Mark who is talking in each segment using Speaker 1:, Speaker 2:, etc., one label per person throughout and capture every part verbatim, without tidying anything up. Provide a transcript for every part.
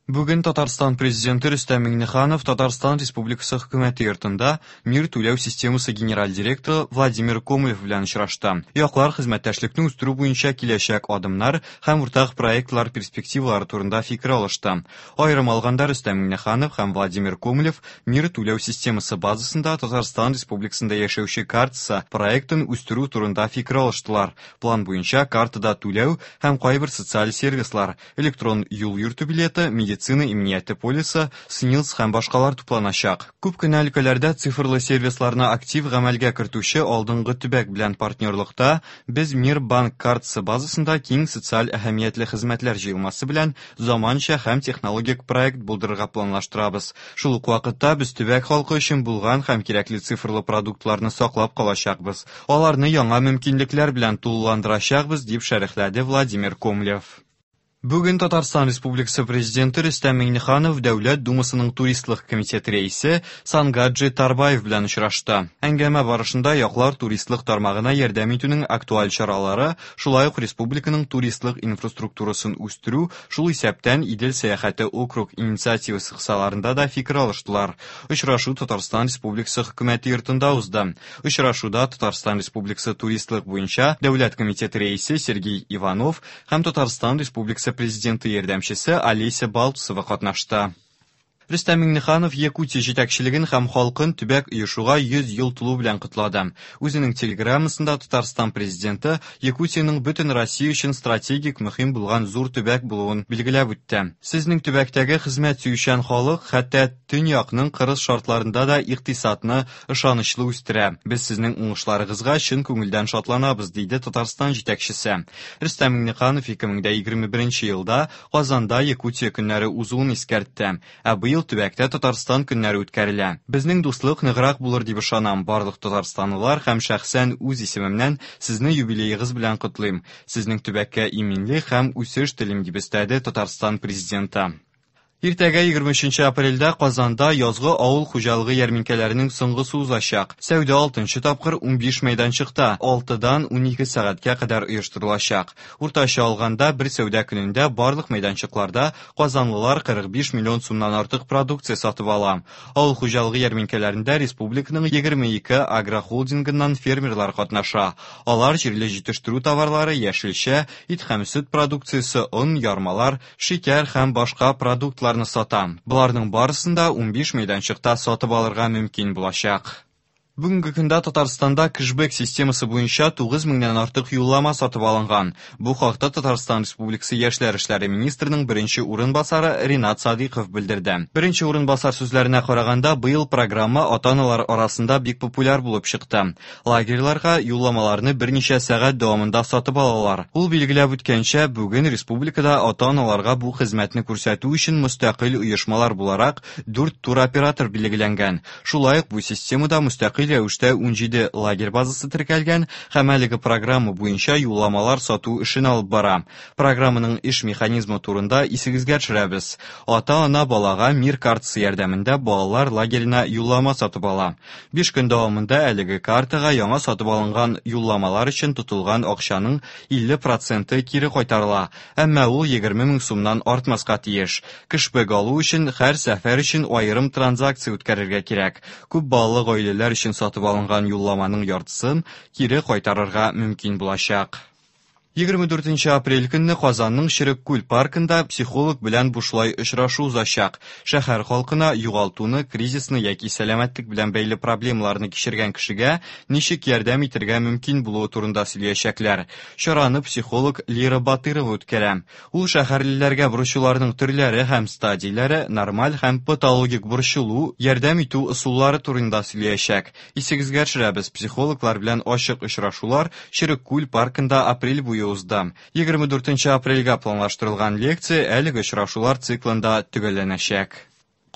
Speaker 1: Бүген Татарстан Президенты Рөстәм Миңнеханов Татарстан Республикасы Хөкүмәте йортында Мир түләү системасы генераль директоры Владимир Комлев белән очрашты. Яклар хезмәттәшлекне үстерү буенча киләчәк адымнар һәм уртак проектлар перспективалары турында фикер алышты. Аерым алганда, Рөстәм Миңнеханов һәм Владимир Комлев Мир түләү системасы базасында Татарстан Республикасында яшәүче картасы проектын үстерү турында фикер алыштылар. План буенча картада түләү һәм кайбер социаль сервислар, электрон юл йөртү билеты, медицина иминияте полисы, СНИЛС һәм башкалар тупланачак. Күп кенә өлкәләрдә цифрлы сервисларны актив гамәлгә кертүче алдынгы төбәк белән партнерлыкта без Мир банк картасы базасында киң социаль әһәмиятле хезмәтләр җыелмасы белән заманча һәм технологик проект булдырырга планлаштырабыз. Шул ук вакытта без төбәк халкы өчен булган һәм кирәкле цифрлы продуктларны саклап калачакбыз. Аларны яңа мөмкинлекләр белән тулыландырачакбыз, дип шәрехләде Владимир Комлев. Бүген Татарстан Республикасы Президенты Рөстәм Миңнеханов Дәүләт Думасының туристлык комитеты рәисе Сангаджи Тарбаев белән очрашты. Әңгәмә барышында яклар туристлык тармагына ярдәм итүнең актуаль чаралары, шулай ук республиканың туристлык инфраструктурасын үстерү, шул исәптән Идел сәяхәте округ инициативасы кысаларында да фикер алыштылар. Очрашу Татарстан Республикасы Хөкүмәте йортында узды. Очрашуда Татарстан Республикасы туристлык буенча Дәүләт комитеты рәисе Сергей Иванов һәм Татарстан Республикасы Президенты ярдәмчесе Олеся Балтусова катнашты. Рөстәм Миңнеханов Якутия җитәкчелеген һәм халкын төбәк оешуга йөз ел тулу белән котлады. Үзенең телеграммасында Татарстан президенты Якутиянең бөтен Россия өчен стратегик мөһим булган зур төбәк булуын билгеләп үтте. Сезнең төбәктәге хезмәт сөючән халык хәтта төньякның кырыс шартларында да икътисадны ышанычлы үстерә. Без сезнең уңышларыгызга чын күңелдән шатланабыз, диде Татарстан җитәкчесе. Рөстәм Миңнеханов ике мең егерме беренче елда Казанда Якутия көннәре узуын искәртте. Ә быел төбәктә Татарстан көннәре үткәрелә. Безнең дуслык ныграк булыр дип ышанам. Барлык татарстанлылар һәм шәхсән үз исемемнән сезне юбилеегыз белән котлыйм. Сезнең төбәккә иминлек һәм үсеш телим, дип өстәде Татарстан президенты. Иртәгә егерме өченче апрельдә Казанда язгы авыл хуҗалыгы ярминкәләренең соңгысы узачак. Сәүдә алтынчы тапкыр унбиш мәйданчыкта алтыдан унике сәгатькә кадәр оештырылачак. Уртача алганда бер сәүдә көнендә барлык мәйданчыкларда казанлылар кырык биш миллион сумнан артык продукция сатып ала. Авыл хуҗалыгы ярминкәләрендә республиканың егерме ике агрохолдингыннан фермерлар катнаша. Алар җирле җитештерү товарлары, яшелчә, ит һәм сөт продукциясе, он, ярмалар, шикәр һәм башка продуктлар сата. Боларның барысын да унбиш мәйданчыкта сатып алырга мөмкин булачак. Бүгенге көндә Татарстанда кэшбэк системасы буенча тугыз меңнән артык юллама сатып алынган. Бу хакта Татарстан Республикасы Яшьләр эшләре министрының беренче урынбасары Ринат Садыйков белдерде. Беренче урынбасар сүзләренә караганда, быел программа ата-аналар арасында бик популяр булып чыкты. Лагерьларга юлламаларны берничә сәгать дәвамында сатып алалар. Ул билгеләп үткәнчә, бүген республикада ата-аналарга бу хезмәтне күрсәтү өчен мөстәкыйль оешмалар буларак дүрт туроператор билгеләнгән. Шулай ук бу системада мөстәкыйль рәвештә унҗиде лагерь базасы теркәлгән һәм әлеге программа буенча юлламалар сату эшен алып бара. Программаның эш механизмы турында исегезгә төшерәбез. Ата-ана балага Мир картасы ярдәмендә балалар лагерена юллама сатып ала. Биш көн дәвамында әлеге картага яңа сатып алынган юлламалар өчен тотылган акчаның илле проценты кире кайтарыла, әмма ул егерме мең сумнан артмаска тиеш. Кэшбэк алу өчен һәр сәфәр өчен аерым транзакция үткәрергә кирәк. Күп балалы гаиләләр өчен сатып алынган юлламаның яртысын кире кайтарырга мөмкин булачак. Егерме дүртенче апрель көнне Казанның Черек-Күл паркында психолог белән бушлай очрашу узачак. Шәһәр халкына югалтуны, кризисны яки сәламәтлек белән бәйле проблемаларны кичергән кешегә ничек ярдәм итәргә мөмкин булуы турында сөйләячәкләр. Чараны психолог Лира Батырова үткәрә. Ул шәһәрлеләргә борчуларның төрләре һәм стадияләре, нормаль һәм патологик борчылу, ярдәм итү ысуллары турында сөйләячәк. Исегезгә төшерәбез, психологлар белән ачык очрашулар Черек-Күл паркында апрель буе узды. Егерме дүртенче апрельгә планлаштырылган лекция әлеге очрашулар циклында төгәлләнәчәк.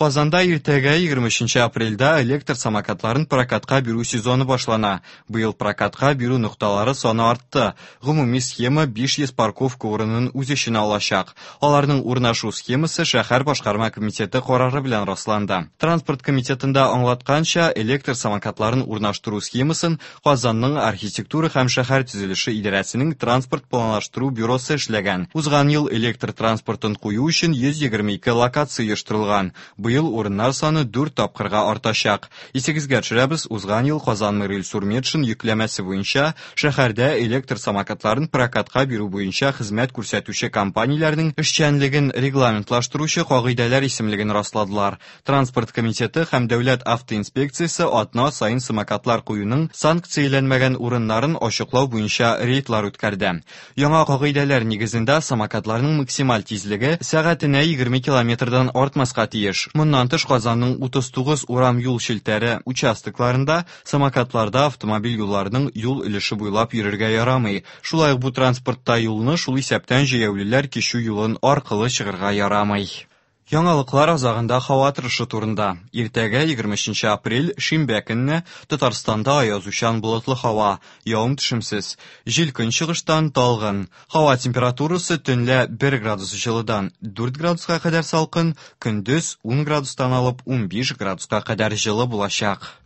Speaker 1: Казанда иртәгә, егерме өченче апрельдә, электр самокатларын прокатка бирү сезоны башлана. Быел прокатка бирү нокталары саны артты. Гомуми схема биш йөз парковка урынын үз эченә алачак. Аларның урнашу схемасы шәһәр башкарма комитеты карары белән расланды. Транспорт комитетында аңлатканча, электр самокатларын урнаштыру схемасын Казанның архитектура һәм шәһәр төзелеше идарәсенең транспорт планлаштыру бюросы эшләгән. Узган ел электр транспортын кую өчен йөз егерме ике локация оештырылган. Быел урыннар саны дүрт тапкырга артачак. Исегезгә төшерәбез, узган ел Казан мэры Илсур Метшин йөкләмәсе буенча шәһәрдә электр самокатларын прокатка бирү буенча хезмәт күрсәтүче компанияләрнең эшчәнлеген регламентлаштыручы кагыйдәләр исемлеген расладылар. Транспорт комитеты һәм дәүләт автоинспекциясе атна саен самокатлар куюның санкцияләнмәгән урыннарын ачыклау буенча рейдлар үткәрде. Яңа кагыйдәләр нигезендә самокатларның максималь тизлеге сәгатенә егерме километрдан артмаска тиеш. Моннан тыш Казанның утыз тугыз урам юл челтәре участокларында самокатларда автомобиль юлларының юл өлеше буйлап йөрергә ярамый. Шулай ук бу транспортта юлны, шул исәптән җәяүлеләр кичү юлын аркылы чыгарга ярамый. Яңалыклар азагында һава торышы турында. Иртәгә, егерме өченче апрель, шимбә көнне Татарстанда аязучан болытлы һава, явым-төшемсез. Җил көнчыгыштан талгын. Һава температурасы төнлә бер градус җылыдан дүрт градуска кадәр салкын, көндез ун градустан алып унбиш градуска кадәр җылы булачак.